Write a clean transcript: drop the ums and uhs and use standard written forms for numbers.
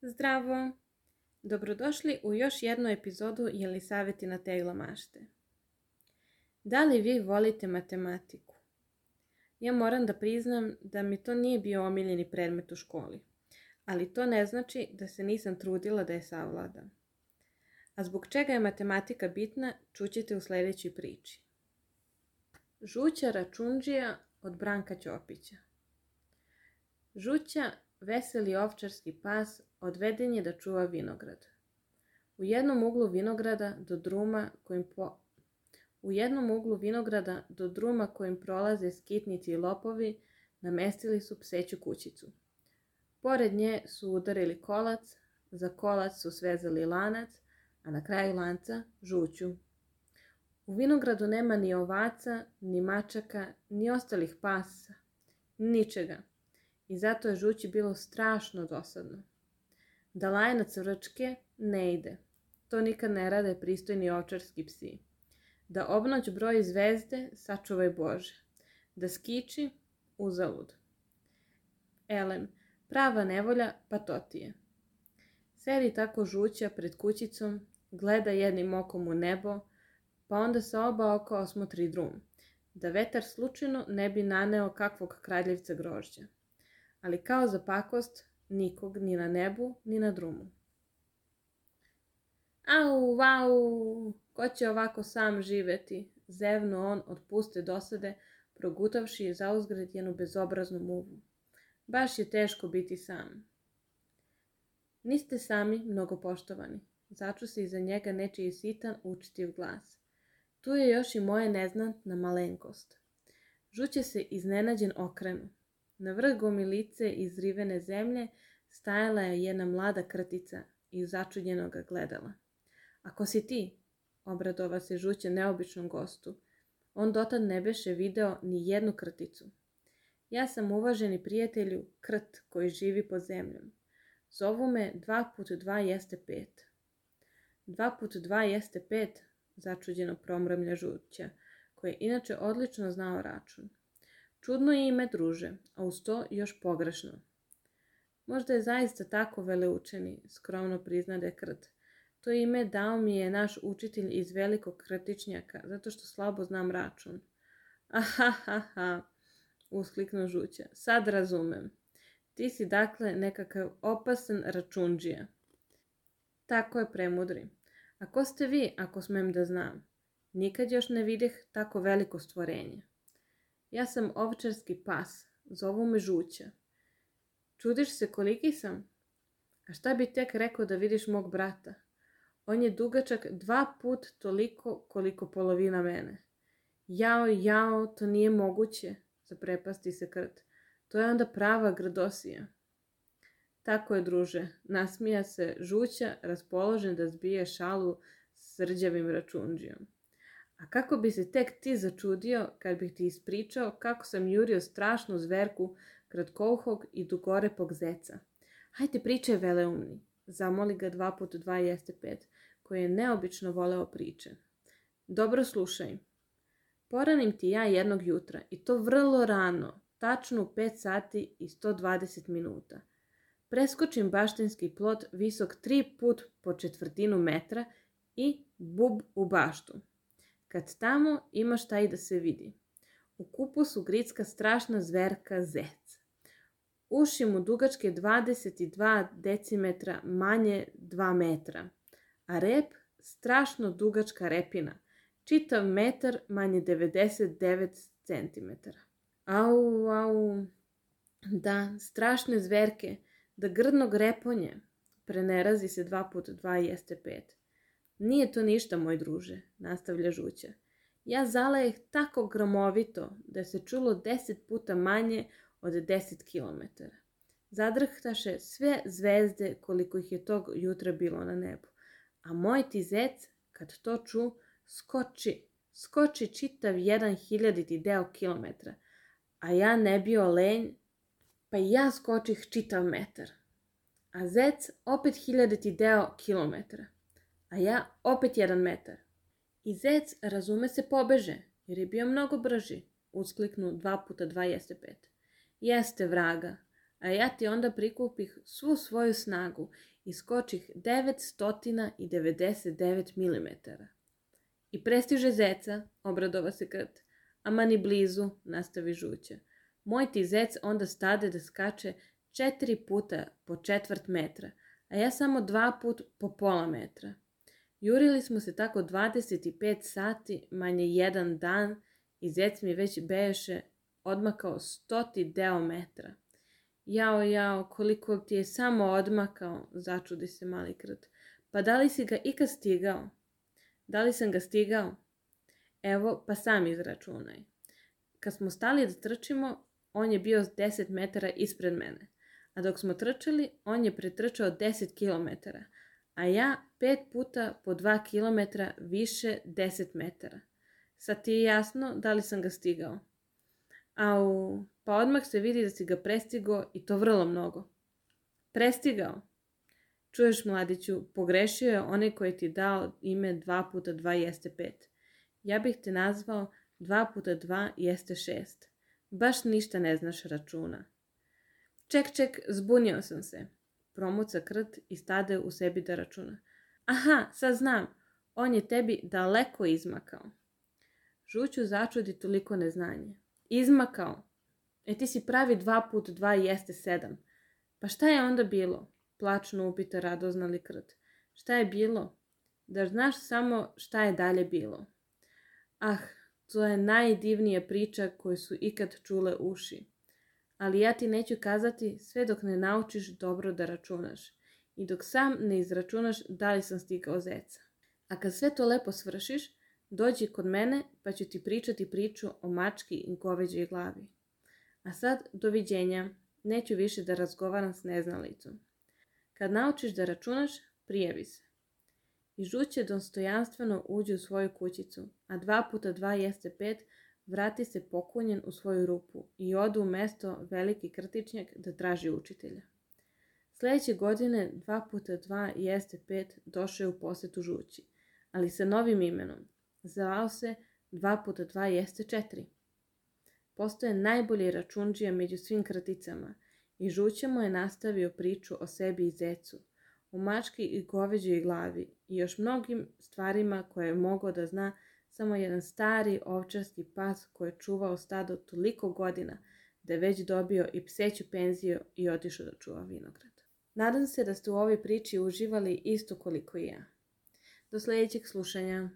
Zdravo! Dobrodošli u još jednu epizodu Jelisavetina tegla mašte. Da li vi volite matematiku? Ja moram da priznam da mi to nije bio omiljeni predmet u školi, ali to ne znači da se nisam trudila da je savladam. A zbog čega je matematika bitna, čućete u sljedećoj priči. Žuća račundžija od Branka Ćopića. Žuća, veseli ovčarski pas, odveden je da čuva vinograd. U jednom uglu vinograda do druma kojim prolaze skitnici i lopovi, namestili su pseću kućicu. Pored nje su udarili kolac, za kolac su svezali lanac, a na kraju lanca žuću. U vinogradu nema ni ovaca, ni mačaka, ni ostalih pasa, ničega. I zato je žući bilo strašno dosadno. Da laje na cvrčke ne ide. To nikad ne rade pristojni ovčarski psi. Da obnoć broji zvezde, sačuvaj Bože. Da skiči, uzalud. Elem, prava nevolja, pa to ti je. Sedi tako žuća pred kućicom, gleda jednim okom u nebo, pa onda sa oba oka osmotri drum, da vetar slučajno ne bi naneo kakvog kradljivca grožđa. Ali kao za pakost, nikog ni na nebu, ni na drumu. Au, vau, ko će ovako sam živeti, zevno on od puste dosade, progutavši zauzgred jednu bezobraznu muvu. Baš je teško biti sam. Niste sami, mnogo poštovani, začu se iza njega nečiji sitan, učtiv glas. Tu je još i moja neznatna malenkost. Žuće se iznenađen okrenu. Na vrh gomilice izrivene zemlje stajala je jedna mlada krtica i začuđeno ga gledala. Ako si ti, obradova se žuća neobičnom gostu, on dotad ne beše video ni jednu krticu. Ja sam, uvaženi prijatelju, krt koji živi pod zemljom. Zovu me 2x2 jeste 5. 2x2 jeste 5, začuđeno promrmlja žuća, koji je inače odlično znao račun. Čudno je ime, druže, a uz to još pogrešno. Možda je zaista tako veleučeni, skromno priznade krt. To ime dao mi je naš učitelj iz velikog krtičnjaka, zato što slabo znam račun. Ahahaha, uskliknuo žuća, sad razumem. Ti si dakle nekakav opasan račundžija. Tako je, premudri. A ko ste vi, ako smem da znam? Nikad još ne videh tako veliko stvorenje. Ja sam ovčarski pas, zovu me žuća. Čudiš se koliki sam? A šta bi tek rekao da vidiš mog brata? On je dugačak 2 put toliko koliko polovina mene. Jao, to nije moguće, zaprepasti se krt. To je onda prava grdosija. Tako je, druže, nasmija se žuća, raspoložen da zbije šalu s srđavim račundžijom. A kako bi se tek ti začudio kad bih ti ispričao kako sam jurio strašnu zverku kratkouhog i dugorepog zeca. Hajde pričaj, veleumni, zamoli ga 2x2 jeste 5, koji je neobično voleo priče. Dobro slušaj. Poranim ti ja jednog jutra, i to vrlo rano, tačno u 5 sati i 120 minuta. Preskočim baštenski plot visok 3 put po četvrtinu metra i bub u baštu. Kad tamo ima šta i da se vidi. U kupusu gricka strašna zverka zec. Uši mu dugačke 22 decimetra, manje 2 metra. A rep strašno dugačka repina. Čitav metar, manje 99 centimetara. Au. Da, strašne zverke, da grdnog reponje. Prenerazi se 2x2 jeste 5. Nije to ništa, moj druže, nastavlja žuća. Ja zalajeh tako gromovito da se čulo 10 puta manje od 10 km. Zadrhtaše sve zvezde koliko ih je tog jutra bilo na nebu. A moj ti zec, kad to ču, skoči čitav 1/1000 deo kilometra. A ja ne bio lenj, pa i ja skočih čitav metar. A zec opet 1000 deo kilometra. A ja opet 1 metar. I zec, razume se, pobeže, jer je bio mnogo brži, uskliknu 2x2 jeste 5. Jeste, vraga, a ja ti onda prikupih svu svoju snagu iskočih 999 mm. I prestiže zeca, obradova se Krt. Ama ni blizu, nastavi Žuća. Moj ti zec onda stade da skače 4 puta po 1/4 metra, a ja samo 2 put po pola metra. Jurili smo se tako 25 sati, manje 1 dan, i zec mi već beše odmakao 100 deo metra. Jao, koliko ti je samo odmakao, začudi se mali Krt. Pa da li si ga ikad stigao? Da li sam ga stigao? Evo, pa sam izračunaj. Kad smo stali da trčimo, on je bio 10 metara ispred mene. A dok smo trčali, on je pretrčao 10 kilometara, a ja 5 puta po 2 kilometra više 10 metara. Sad ti je jasno da li sam ga stigao? Au, pa odmah se vidi da si ga prestigao i to vrlo mnogo. Prestigao? Čuješ, mladiću, pogrešio je onaj koji ti dao ime 2 puta 2 jeste 5. Ja bih te nazvao 2 puta 2 jeste 6. Baš ništa ne znaš računa. Ček, zbunio sam se, promuca Krt i stade u sebi da računa. Aha, sad znam, on je tebi daleko izmakao. Žuću začudi toliko neznanje. Izmakao? Ti si pravi 2 puta 2 jeste 7. Pa šta je onda bilo? Plačno upita radoznali Krt. Šta je bilo? Da znaš samo šta je dalje bilo. Ah, to je najdivnija priča koju su ikad čule uši. Ali ja ti neću kazati sve dok ne naučiš dobro da računaš i dok sam ne izračunaš da li sam stigao zeca. A kad sve to lepo svršiš, dođi kod mene pa ću ti pričati priču o mački i goveđoj glavi. A sad, doviđenja, neću više da razgovaram s neznalicom. Kad naučiš da računaš, prijavi se. I Žuće dostojanstveno uđe u svoju kućicu, a 2 puta 2 jeste 5, vrati se pokunjen u svoju rupu i odu u mesto Veliki Krtičnjak da traži učitelja. Sljedeće godine 2 puta 2 jeste 5 došao je u posetu Žući, ali sa novim imenom. Zvao se 2 puta 2 jeste 4. Postoje najbolji račundžija među svim krticama i Žuća mu je nastavio priču o sebi i zecu, o mački i goveđoj glavi i još mnogim stvarima koje je mogao da zna samo jedan stari ovčarski pas koji je čuvao stado toliko godina da je već dobio i pseću penziju i otišao da čuva vinograd. Nadam se da ste u ovoj priči uživali isto koliko i ja. Do sljedećeg slušanja.